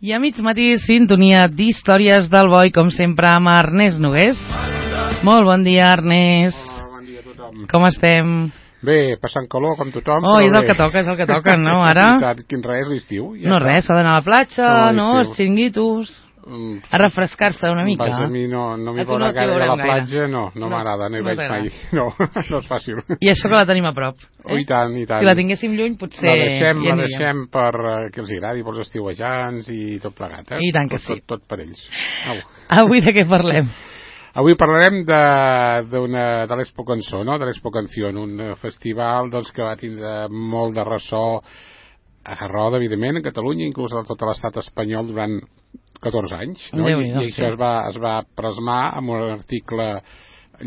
I a mig matí, sintonia d'històries del Boi, com sempre, amb Ernest Nogués. Molt bon dia, Ernest. Bon dia a tothom. Com estem? Bé, passant calor, com tothom. Oh, és el que toca, no, ara? I tant, quin res, l'estiu. No res, s'ha d'anar a la platja, no, els xinguitos, a refrescar-se una mica. Vas, a mi no m'hi veurà gaire a la platja, no m'agrada, no hi vaig mai. No és fàcil. I això que la tenim a prop. Oh, i tant, i tant. Si la tinguéssim lluny, potser la deixem per que els agradi, pels estiuejants i tot plegat, I tant que sí. Tot per ells. Avui de què parlem? Avui parlarem de l'Expo Cançó, no? De l'Expo Canció, un festival que va tindre molt de ressò a Roda, evidentment, a Catalunya, inclús a tot l'estat espanyol durant 14 anys, no? I això es va plasmar amb un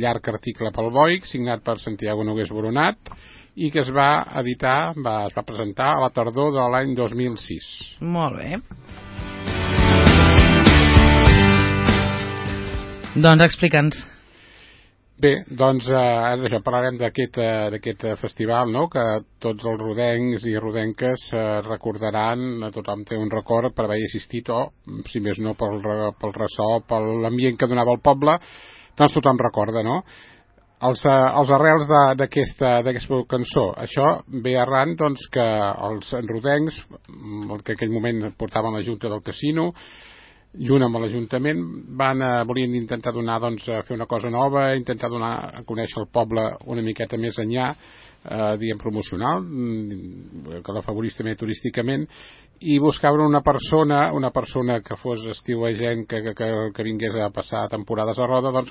llarg article pel Boic, signat per Santiago Nogués Boronat, i que es va editar, es va presentar a la tardor de l'any 2006. Molt bé. Doncs explica'ns. Bé, això, parlarem d'aquest festival, no?, que tots els rodencs i rodenques recordaran, tothom té un record per haver assistit, o, si més no, pel ressò, per l'ambient que donava el poble, doncs tothom recorda, no? Els arrels d'aquesta cançó, això ve arran que els rodencs, que en aquell moment portaven la Junta del Casino, junt amb l'Ajuntament, volien intentar fer una cosa nova, intentar donar a conèixer el poble una miqueta més enllà, diguem, promocional, que l'afavorís també turísticament, i buscaven una persona que fos estiuejant, que vingués a passar temporades a Roda,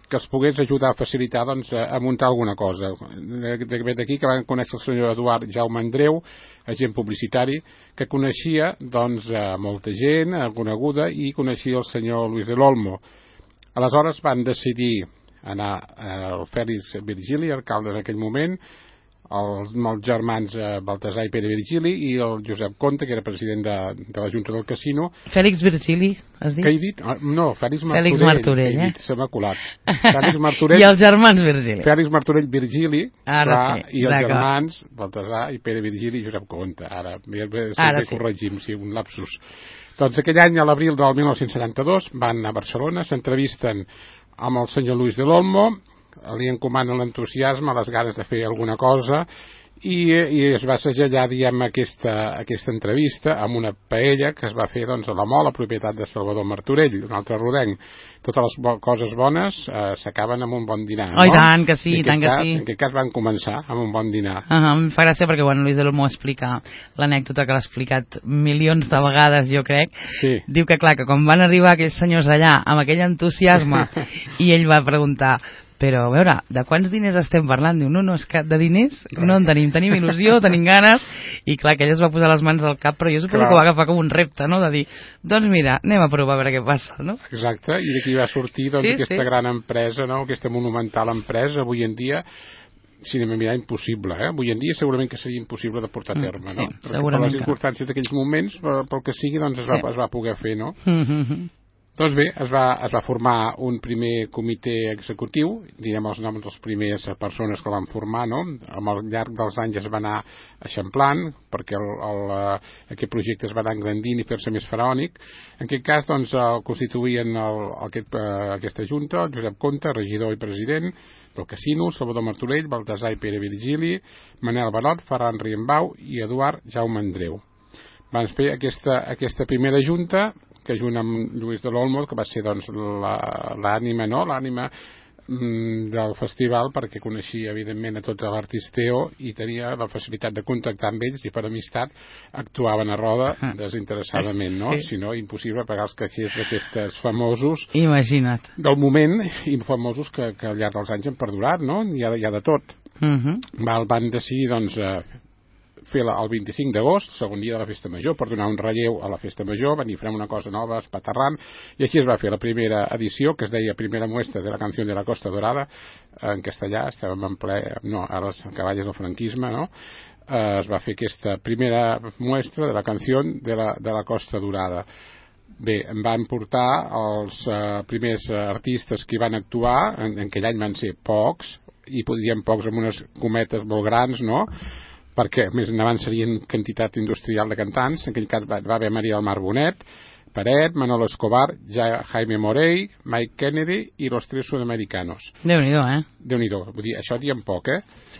que els pogués ajudar a facilitar a muntar alguna cosa. D'aquí que van conèixer el senyor Eduard Jaume Andreu, agent publicitari, que coneixia molta gent coneguda, i coneixia el senyor Luis de l'Olmo. Aleshores van decidir anar al Fèlix Virgili, alcalde en aquell moment, els germans Baltasar i Pere Virgili, i el Josep Conte, que era president de la Junta del Casino. Fèlix Virgili, has dit? Què he dit? No, Fèlix Martorell. Fèlix Martorell, Se m'ha colat. Fèlix Martorell. I els germans Virgili. Fèlix Martorell Virgili, i els d'acord. germans Baltasar i Pere Virgili i Josep Conte. Ara corregim, sí, un lapsus. Doncs aquell any, a l'abril del 1972, van a Barcelona, s'entrevisten amb el senyor Luis de l'Olmo, li encomanen l'entusiasme, les ganes de fer alguna cosa, i es va segellar, diguem, aquesta entrevista amb una paella que es va fer a la Mola, propietat de Salvador Martorell, un altre rodenc. Totes les coses bones s'acaben amb un bon dinar, no? Oh, i tant que sí, tant que sí. En aquest cas van començar amb un bon dinar. Em fa gràcia perquè quan Luis de l'Olmo explica l'anècdota que l'ha explicat milions de vegades, jo crec, diu que clar, que quan van arribar aquells senyors allà amb aquell entusiasme i ell va preguntar: però, a veure, de quants diners estem parlant? Diu, no, és que de diners no en tenim il·lusió, tenim ganes, i clar, que ell es va posar les mans al cap, però jo suposo que ho va agafar com un repte, no?, de dir, doncs mira, anem a provar a veure què passa, no? Exacte, i d'aquí va sortir aquesta gran empresa, no?, aquesta monumental empresa, avui en dia, si anem a mirar, impossible, Avui en dia segurament que seria impossible de portar a terme, no? Sí, perquè per les circumstàncies d'aquells moments, pel que sigui, es va poder fer, no? Doncs bé, es va formar un primer comitè executiu, diguem els noms de les primeres persones que el van formar, no? Al llarg dels anys es va anar eixamplant, perquè aquest projecte es va anar engrandint i fer-se més faraònic. En aquest cas, el constituïen aquesta junta, el Josep Conte, regidor i president del Casino, Salvador Martorell, Baltasar i Pere Virgili, Manel Barot, Ferran Riembau i Eduard Jaume Andreu. Van fer aquesta primera junta, que junt amb Luis de l'Olmo, que va ser l'ànima del festival, perquè coneixia evidentment a tot l'artisteo i tenia la facilitat de contactar amb ells, i per amistat actuaven a Roda desinteressadament, no? Si no, impossible pagar els caixers d'aquests famosos, imagina't, del moment, i famosos que al llarg dels anys han perdurat, no? Hi ha de tot. Van decidir fer el 25 d'agost, segon dia de la Festa Major, per donar un relleu a la Festa Major. Van dir, farem una cosa nova, espaterrant, i així es va fer la primera edició, que es deia Primera Muestra de la Canción de la Costa Dorada, en castellà, estàvem en ple, no, ara els cavalls del franquisme, no? Es va fer aquesta primera muestra de la Canción de la Costa Dorada. Bé, em van portar els primers artistes que hi van actuar, en aquell any van ser pocs, i podríem pocs amb unes cometes molt grans, no?, perquè més endavant serien quantitat industrial de cantants. En aquell cas va haver Maria del Mar Bonet, Peret, Manolo Escobar, Jaime Morey, Mike Kennedy i los tres sudamericanos. Déu-n'hi-do, Déu-n'hi-do, vull dir, això diem poc,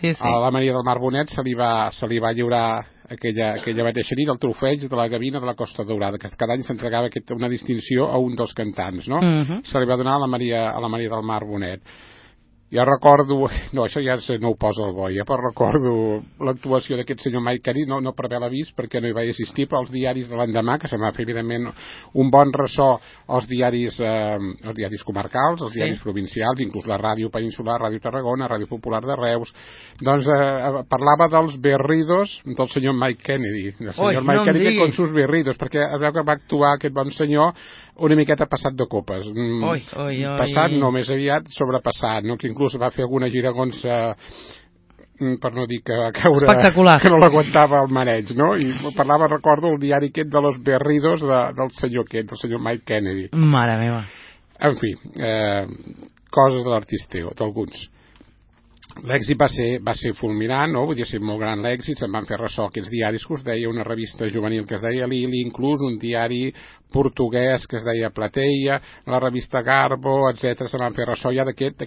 Sí. A la Maria del Mar Bonet se li va lliurar aquella mateixa nit el trofeig de la Gavina de la Costa Daurada, que cada any s'entregava una distinció a un dels cantants, no? Se li va donar a la Maria del Mar Bonet. Jo recordo, no, això ja no ho posa el boi, però recordo l'actuació d'aquest senyor Mike Kennedy, no per haver vist perquè no hi vaig assistir, però els diaris de l'endemà, que se m'ha fet evidentment un bon ressò als diaris comarcals, als diaris provincials, inclús la Ràdio Peninsular, Ràdio Tarragona, Ràdio Popular de Reus, doncs parlava dels berridos del senyor Mike Kennedy, del senyor Mike Kennedy con sus berridos, perquè es veu que va actuar aquest bon senyor una miqueta passat de copes. Passat, no, més aviat sobrepassat, no? Que inclús va fer alguna giragonsa, per no dir que va caure... Espectacular. Que no l'aguantava el mareig, no? I parlava, recordo, el diari aquest de los berridos del senyor aquest, del senyor Mike Kennedy. Mare meva. En fi, coses de l'artisteo, d'alguns. L'èxit va ser fulminant, no? Vull dir, ser molt gran l'èxit, se'n van fer ressò aquests diaris que us deia, una revista juvenil que es deia Lili, inclús un diari portuguès que es deia Plateia, la revista Garbo, etc. Se van fer ressò ja d'aquesta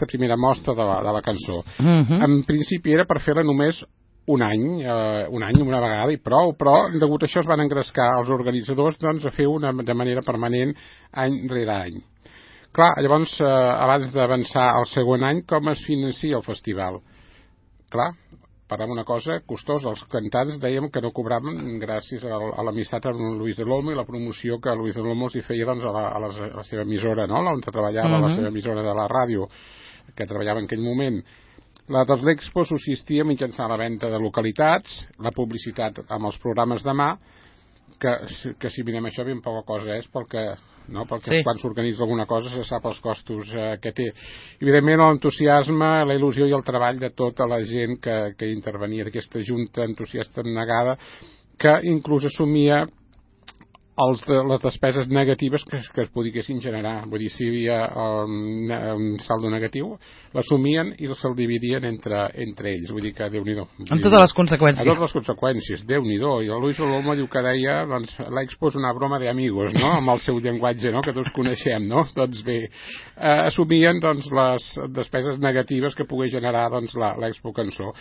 primera mostra de la cançó. En principi era per fer-la només un any, una vegada i prou, però degut a això es van engrescar els organitzadors doncs, a fer de manera permanent any rere any. Clar, llavors, abans d'avançar al segon any, com es financia el festival? Clar, parlem una cosa costosa. Els cantants dèiem que no cobraven gràcies a l'amistat amb Luis del Olmo i la promoció que Luis del Olmo els feia doncs, a la seva emissora, no? On treballava, la seva emissora de la ràdio, que treballava en aquell moment. La dels l'Expo subsistia mitjançant la venda de localitats, la publicitat amb els programes de mà, que si mirem això ben poca cosa és perquè quan s'organitza alguna cosa se sap els costos que té. Evidentment l'entusiasme, la il·lusió i el treball de tota la gent que intervenia d'aquesta junta entusiasta negada, que inclús assumia les despeses negatives que es poguessin generar. Vull dir, si hi havia un saldo negatiu, l'assumien i se'l dividien entre ells. Vull dir que Déu-n'hi-do. Amb totes les conseqüències. Amb totes les conseqüències, Déu-n'hi-do. I el Luis Olmo diu que deia, doncs, l'Expo és una broma d'amigos, no? Amb el seu llenguatge, no? Que tots coneixem, no? Doncs bé, assumien doncs, les despeses negatives que pogués generar doncs, l'Expo Cançó.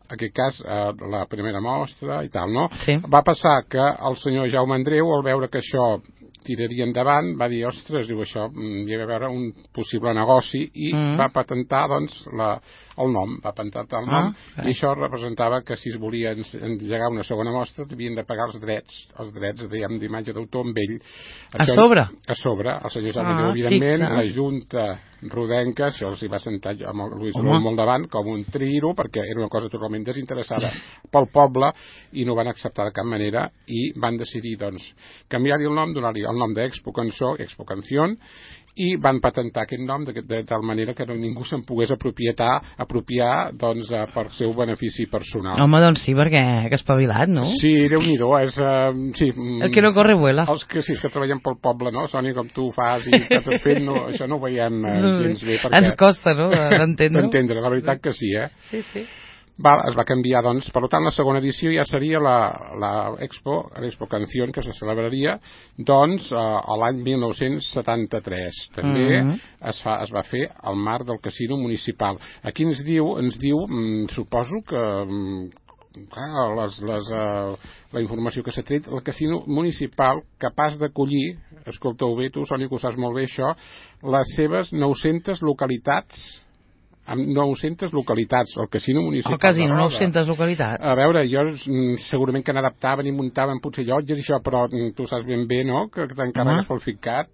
En aquest cas, la primera mostra i tal, no? Sí. Va passar que el senyor Jaume Andreu, al veure que això tiraria endavant, va dir, ostres, diu això, hi ha d'haver un possible negoci i va patentar, doncs, el nom, i això representava que si es volia engegar una segona mostra havien de pagar els drets d'imatge d'autor amb ell. A sobre? A sobre, el senyor Jaume Andreu, evidentment, la Junta rodenca, això els hi va sentar amb el Luis Olmo al davant com un triro, perquè era una cosa totalment desinteressada pel poble i no van acceptar de cap manera i van decidir doncs canviar-li el nom, donar-li el nom d'Expo Cançó, Expo Canción, i van patentar aquest nom de tal manera que ningú se'n pogués apropiar doncs, per seu benefici personal. Home, doncs sí, perquè que espavilat, no? Sí, Déu-n'hi-do, és... sí, el que no corre vuela. Els que sí, que treballen pel poble, no? Sònia, com tu ho fas i que t'has fet, no, això no ho veiem gens bé. Perquè... Ens costa, no?, d'entendre. D'entendre, la veritat que sí, Sí, sí. Es va canviar, doncs, per tant, la segona edició ja seria l'Expo Canción, que se celebraria, doncs, l'any 1973. També es va fer al marc del Casino Municipal. Aquí ens diu, suposo que la informació que s'ha tret, el Casino Municipal capaç d'acollir, escolteu bé tu, Sònia, que ho saps molt bé això, les seves 900 localitats, amb 900 localitats, el Casino Municipal. El Casino, 900 localitats. A veure, jo segurament que n'adaptaven i muntaven potser llotges i això, però tu saps ben bé, no?, que t'encarregues pel FICAT.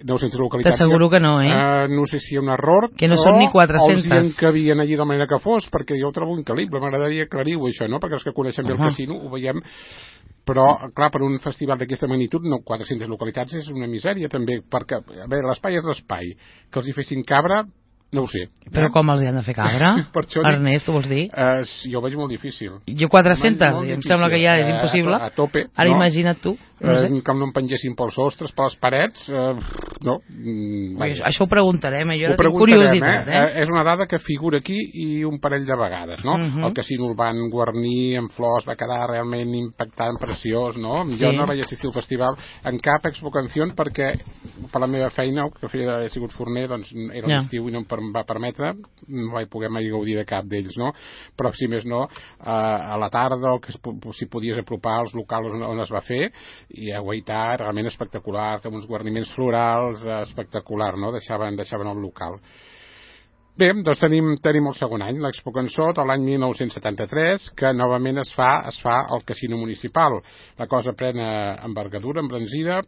900 localitats. T'asseguro que no, no sé si hi ha un error, que no són ni 400. Els hi encabien allí de manera que fos, perquè jo ho trobo increïble, m'agradaria aclarir-ho això, no?, perquè els que coneixem bé el casino ho veiem, però, clar, per un festival d'aquesta magnitud, 400 localitats és una misèria, també, perquè, a veure, l'espai és l'espai, que els hi fessin cabre, no ho sé. Però com els hi han de fer cabra? Ernest, ho vols dir? Jo ho veig molt difícil. Jo 400, i em sembla que ja és impossible. A tope. Ara imagina't tu. que no em pengessin pels sostres, per les parets, no. Això ho preguntarem, jo ara tinc curiositat. És una dada que figura aquí i un parell de vegades, no? El casino el van guarnir amb flors, va quedar realment impactant, preciós, no? Jo no vaig assistir al festival en cap Expo Canción perquè per la meva feina, que he sigut forner, doncs era l'estiu i no em va permetre, no vaig poder mai gaudir de cap d'ells, no? Però si més no, a la tarda, si podies apropar als locals on es va fer, i a Guaità, realment espectacular, amb uns guarniments florals, espectacular, no? Deixaven el local. Bé, doncs tenim el segon any, l'Expo Cançó, de l'any 1973, que novament es fa al Casino Municipal. La cosa pren envergadura, embranzida.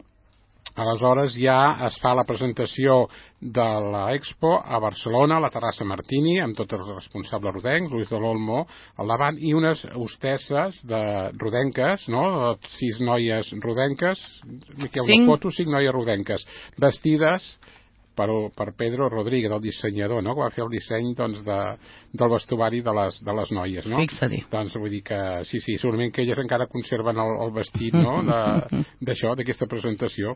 Aleshores ja es fa la presentació de l'Expo a Barcelona, a la Terrassa Martini, amb tots els responsables rodencs, Luis de l'Olmo al davant, i unes hostesses rodenques, no? 6 noies rodenques, Miquel, una foto, 5 noies rodenques, vestides per Pedro Rodríguez, el dissenyador, no? Que va fer el disseny del vestuari de les noies, no? Fixa-t'hi. Doncs vull dir que sí, segurament que elles encara conserven el vestit, no? D'això, d'aquesta presentació.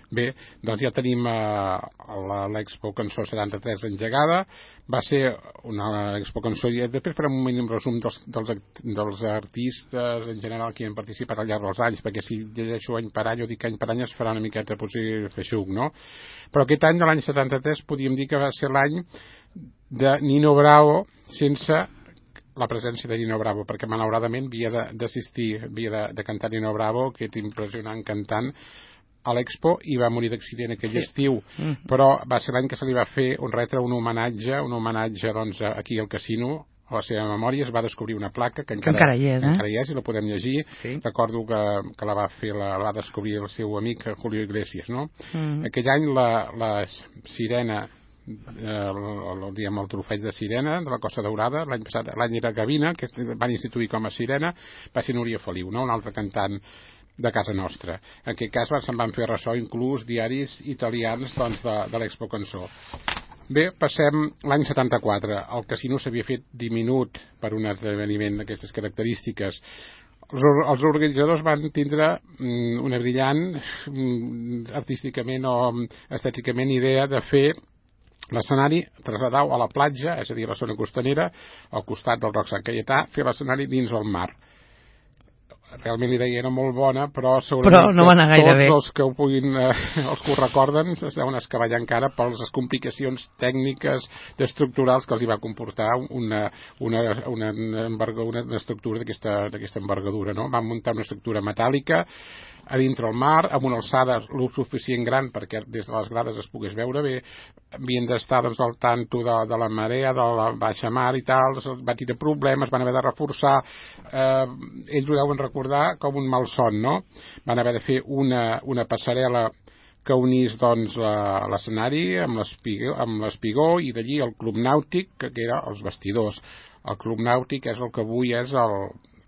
Bé, doncs ja tenim l'Expo Cançó 73 engegada. Va ser una Expo Cançó, i després farem un mínim resum dels artistes en general que hi han participat al llarg dels anys, perquè si llegeixo any per any o dic any per any es farà una miqueta potser feixuc, no? Però aquest any de l'any 73 podríem dir que va ser l'any de Nino Bravo sense la presència de Nino Bravo, perquè malauradament havia de cantar Nino Bravo, aquest impressionant cantant, a l'Expo, i va morir d'accident aquell estiu, però va ser l'any que se li va fer un homenatge doncs aquí al casino, a la seva memòria. Es va descobrir una placa que encara hi és i la podem llegir. Recordo que la va descobrir el seu amic Julio Iglesias, no? Aquell any la sirena, el trofeig de sirena de la Costa Daurada, l'any era Gavina, que van instituir com a sirena, va ser Núria Feliu, no? Un altre cantant de casa nostra. En aquest cas se'n van fer ressò inclús diaris italians de l'Expo Cançó. Bé, passem l'any 74. El casino s'havia fet diminuut per un esdeveniment d'aquestes característiques. Els organitzadors van tindre una brillant, artísticament o estèticament, idea de fer l'escenari traslladar a la platja, és a dir, a la zona costanera, al costat del Roc Sant Caietà, fer l'escenari dins el mar. Realment l'idea era molt bona, però segurament no tots els que ho recorden es deuen escavallar encara per les complicacions tècniques, estructurals que els hi va comportar una estructura d'aquesta envergadura, no? Van muntar una estructura metàl·lica a dintre el mar, amb una alçada lo suficient gran perquè des de les grades es pogués veure bé. Havien d'estar doncs al tanto de la marea, de la baixa mar i tal, va tenir problemes, van haver de reforçar, ells ho deuen recordar com un malson, no? Van haver de fer una passarel·la que unís doncs l'escenari amb l'espigó, i d'allí el Club Nàutic, que era els vestidors. El Club Nàutic és el que avui és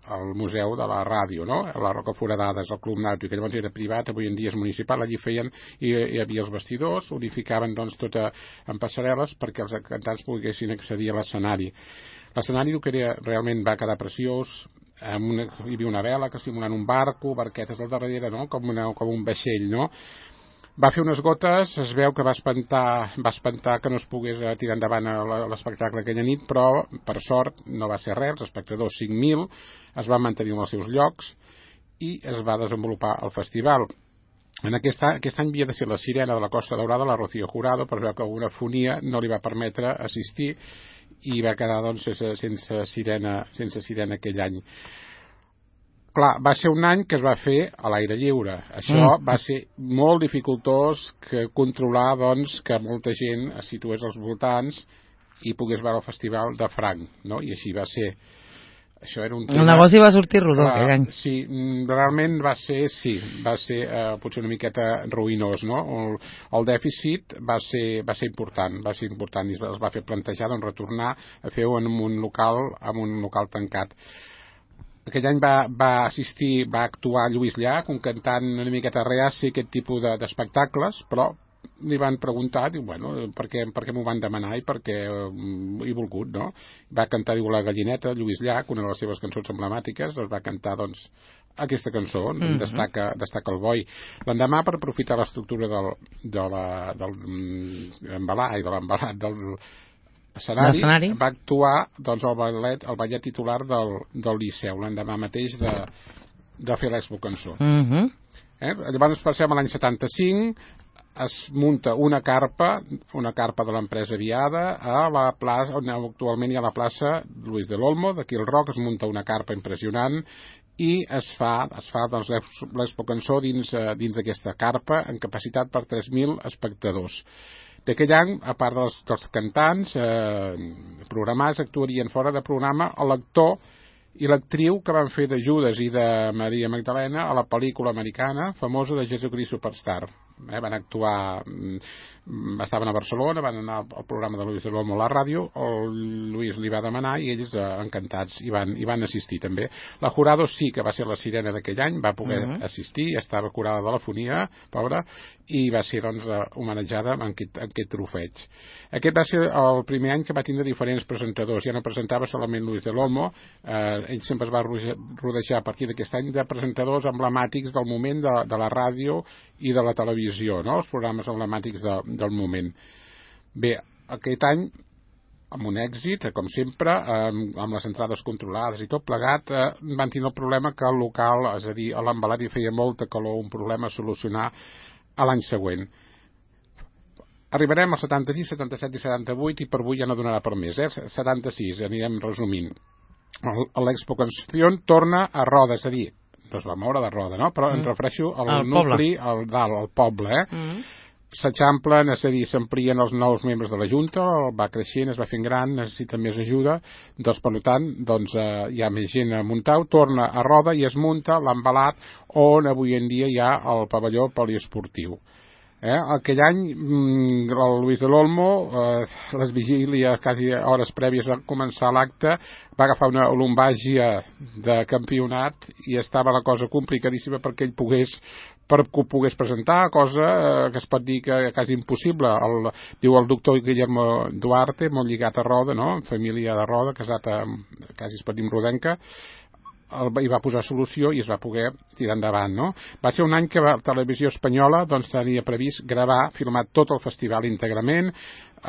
el Museu de la Ràdio, no? La Roca Foradada és el Club Nàutic, que llavors era privat, avui en dia és municipal. Allí feien, hi havia els vestidors, unificaven doncs tot en passarel·les perquè els cantants poguessin accedir a l'escenari. L'escenari realment va quedar preciós. Hi havia una vela que simulant un barco, barquetes al darrere, no? Com un vaixell, no? Va fer unes gotes, es veu que va espantar que no es pogués tirar endavant l'espectacle aquella nit, però per sort no va ser res, els espectadors 5.000 es van mantenir en els seus llocs i es va desenvolupar el festival. Aquest any havia de ser la sirena de la Costa Daurada, la Rocío Jurado, però es veu que una fonia no li va permetre assistir i va quedar doncs sense sirena aquell any. Clar, va ser un any que es va fer a l'aire lliure. Això va ser molt dificultós controlar doncs, que molta gent es situés als voltants i pogués veure el festival de franc, no? I així va ser. Això era un tema... El negoci va sortir rodó aquell any. Sí, realment va ser potser una miqueta ruïnós, no? El dèficit va ser important i es va fer plantejar doncs, retornar a fer-ho en un local tancat. Aquell any va actuar Lluís Llach, un cantant una miqueta reaci a aquest tipus d'espectacles, però li van preguntar, diu, bueno, per què m'ho van demanar i per què he volgut, no? Va cantar, diu, La gallineta, Lluís Llach, una de les seves cançons emblemàtiques, doncs va cantar, doncs, aquesta cançó, destaca el boi. L'endemà, per aprofitar l'estructura de l'embalat del escenari, va actuar, doncs, el ballet titular del Liceu, l'endemà mateix de fer l'Expo Cançó. Llavors passem a l'any 75, es munta una carpa de l'empresa Viada a la plaça, on actualment hi ha la plaça Luis del Olmo, d'aquí al Roc, es munta una carpa impressionant i es fa doncs, l'Expo Cançó dins d'aquesta carpa amb capacitat per 3.000 espectadors. D'aquell any, a part dels cantants programats, actuarien fora de programa l'actor i l'actriu que van fer de Judas i de Maria Magdalena a la pel·lícula americana famosa de Jesucrist Superstar. Van actuar, estaven a Barcelona, van anar al programa de Luis de l'Olmo a la ràdio, el Luis li va demanar i ells encantats hi van assistir també. La Jurado sí que va ser la sirena d'aquell any, va poder assistir, estava curada de l'afonia, pobra, i va ser doncs homenatjada amb aquest trofeig. Aquest va ser el primer any que va tindre diferents presentadors, ja no presentava solament Luis de l'Olmo, ell sempre es va rodejar a partir d'aquest any de presentadors emblemàtics del moment de la ràdio i de la televisió, no? Els programes emblemàtics del moment. Bé, aquest any, amb un èxit, com sempre, amb les entrades controlades i tot plegat, van tenir el problema que el local, és a dir, a l'embalat hi feia molta calor, un problema a solucionar a l'any següent. Arribarem als 76, 77 i 78 i per avui ja no donarà per més. 76, anirem resumint. L'Expo Canció torna a Roda, és a dir, no es va moure de Roda, no? Però em refereixo al nucli, al poble, s'eixamplen, és a dir, s'amplien els nous membres de la Junta, va creixent, es va fent gran, necessita més ajuda, doncs per tant, doncs, hi ha més gent a muntar, torna a Roda i es munta l'embalat on avui en dia hi ha el pavelló poliesportiu. Aquell any el Luis de l'Olmo, les vigílies quasi hores prèvies a començar l'acte, va agafar una lumbàgia de campionat i estava la cosa complicadíssima perquè ell ho pogués presentar, cosa que es pot dir que quasi impossible. Diu el doctor Guillermo Duarte, molt lligat a Roda, no? Família de Roda, casat quasi es pot dir amb rodenca, hi va posar solució i es va poder tirar endavant, no? Va ser un any que la televisió espanyola doncs tenia previst filmar tot el festival íntegrament.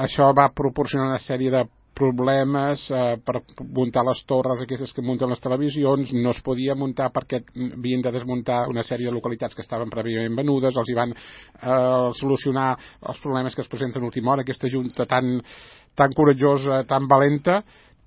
Això va proporcionar una sèrie de problemes per muntar les torres aquestes que munten les televisions, no es podia muntar perquè havien de desmuntar una sèrie de localitats que estaven prèviament venudes, els hi van solucionar els problemes que es presenten a última hora, aquesta junta tan coratjosa, tan valenta.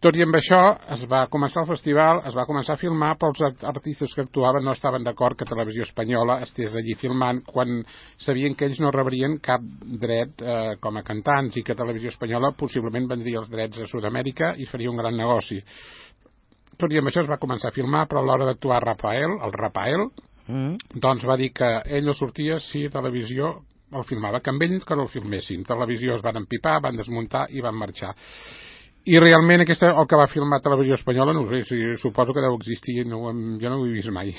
Tot i amb això es va començar el festival, es va començar a filmar, però els artistes que actuaven no estaven d'acord que Televisió Espanyola estés allí filmant quan sabien que ells no rebrien cap dret com a cantants i que Televisió Espanyola possiblement vendria els drets a Sud-amèrica i faria un gran negoci. Tot i amb això es va començar a filmar, però a l'hora d'actuar el Rafael, doncs va dir que ell no sortia si Televisió el filmava, que amb ell que no el filmessin. Televisió es van empipar, van desmuntar i van marxar. I realment el que va filmar Televisió Espanyola, no ho sé, suposo que deu existir, jo no ho he vist mai.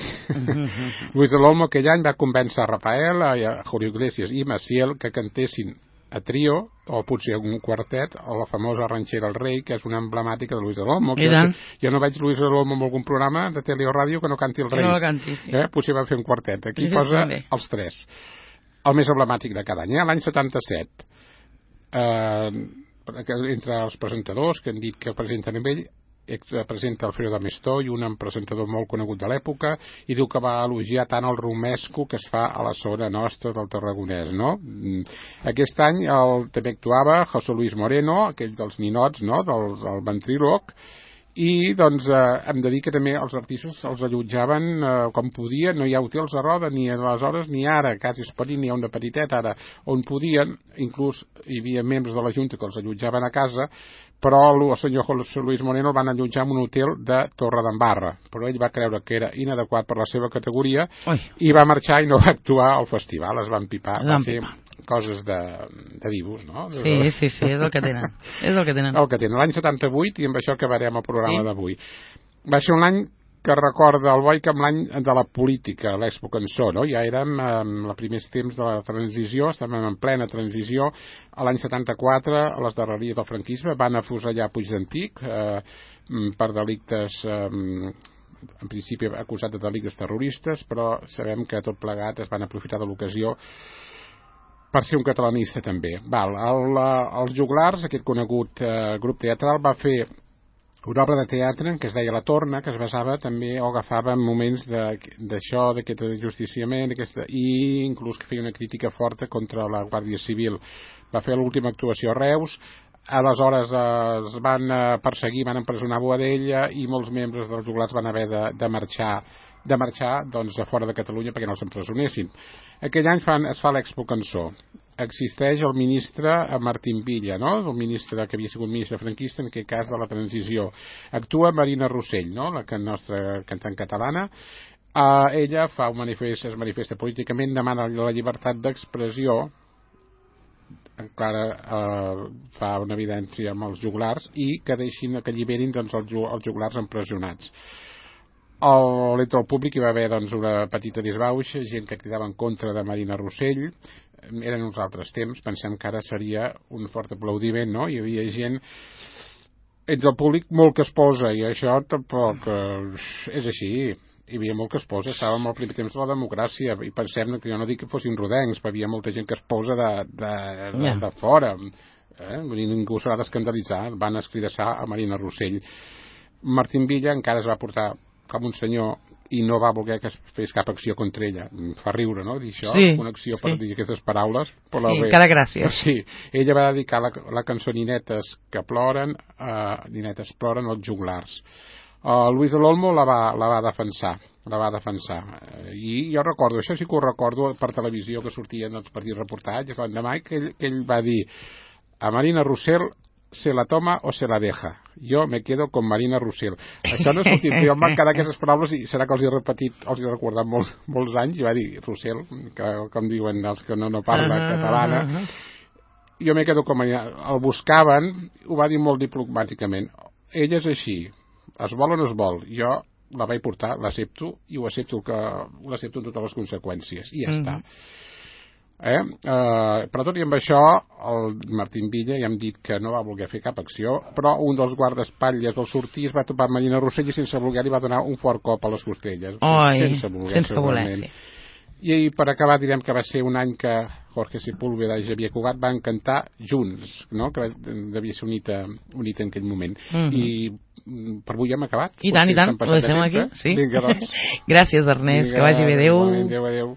Luis de l'Olmo aquell any va convèncer a Rafael, a Julio Iglesias i Maciel que cantessin a trio, o potser un quartet, a la famosa Ranxera El Rei, que és una emblemàtica de Luis de l'Olmo. Jo no veig Luis de l'Olmo en algun programa de tele o ràdio que no canti El Rei. No canti, sí. Potser van fer un quartet. Aquí posa els tres. El més emblemàtic de cada any. L'any 77, entre els presentadors que han dit que presenten amb ell, presenta Alfredo Amestoy, un presentador molt conegut de l'època, i diu que va elogiar tant el romesco que es fa a la zona nostra del Tarragonès, no? Aquest any també actuava José Luis Moreno, aquell dels ninots, no? Del ventríloc, i doncs hem de dir que també els artistes els allotjaven com podien, no hi ha hotels a Roda ni aleshores ni ara, quasi es pot dir n'hi ha una petiteta ara, on podien, inclús hi havia membres de la Junta que els allotjaven a casa, però el senyor José Luis Moreno el van allotjar en un hotel de Torredembarra, però ell va creure que era inadequat per la seva categoria i va marxar i no va actuar al festival, es van pipar, va ser coses de dibuix, no? Sí, és el que tenen. És el que tenen. L'any 78, i amb això acabarem el programa d'avui. Va ser un any que recorda el Boic amb l'any de la política, l'Expo Cançó, no? Ja érem en els primers temps de la transició, estàvem en plena transició. A l'any 74, a les darreries del franquisme, van afusellar Puigdentic per delictes, en principi acusat de delictes terroristes, però sabem que tot plegat es van aprofitar de l'ocasió per ser un catalanista també. Els Joglars, aquest conegut grup teatral, va fer una obra de teatre que es deia La Torna, que es basava també o agafava moments d'això, d'aquest justiciament, i inclús que feia una crítica forta contra la Guàrdia Civil. Va fer l'última actuació a Reus, aleshores es van perseguir, van empresonar Boadella i molts membres dels Joglars van haver de marxar doncs, a fora de Catalunya perquè no s'empresonessin. Aquell any es fa l'Expo Cançó. Existeix el ministre Martín Villa, no? El ministre que havia sigut ministre franquista, en aquest cas de la transició. Actua Marina Rossell, no? La nostra cantant catalana. Ella fa un manifest, es manifesta políticament, demana la llibertat d'expressió, encara fa una evidència amb els Joglars, i que alliberin doncs, els Joglars empresonats. Entre el públic hi va haver doncs, una petita disbauxa, gent que cridava en contra de Marina Rossell. Eren uns altres temps, pensem que ara seria un fort aplaudiment, no? Hi havia gent entre el públic molt que es posa, i això tampoc és així. Hi havia molt que es posa, estàvem al primer temps de la democràcia, i pensem que jo no dic que fossin rodencs, però hi havia molta gent que es posa de fora. Ningú s'ha d'escandalitzar, van escridassar a Marina Rossell. Martín Villa encara es va portar com un senyor i no va voler que es fes cap acció contra ella. Fa riure, no?, dir això, una acció per dir aquestes paraules. Sí, encara gràcies. Sí, ella va dedicar la cançó Ninetes que ploren, Ninetes ploren als Joglars. Luis de l'Olmo la va defensar. I jo recordo, això sí que ho recordo per televisió, que sortia doncs, per dir reportatges l'endemà, que ell va dir: a Marina Rossell se la toma o se la deja. Jo me quedo con Marina Rossell. Això no ha sortit, jo em van quedar aquestes paraules i serà que els he repetit, els he recordat molts anys, i va dir Rossell, que com diuen els que no parlen catalana. Jo me quedo con Marina. El buscaven, ho va dir molt diplomàticament. Ella és així, es vol o no es vol. Jo la vaig portar, l'accepto, i l'accepto amb totes les conseqüències, i ja està. Però tot i amb això, el Martín Villa ja hem dit que no va voler fer cap acció, però un dels guardaespatlles del sortir es va topar amb Marina Rossell i sense voler li va donar un fort cop a les costelles. Sense voler, sí. I per acabar direm que va ser un any que Jorge Sepúlveda i Xavier Cugat van cantar junts, no? Que devia ser un hit en aquell moment. I per avui hem acabat. I tant, ho deixem aquí. Sí. Vinga, doncs. Gràcies, Ernest, que vagi bé. Adéu. Adéu.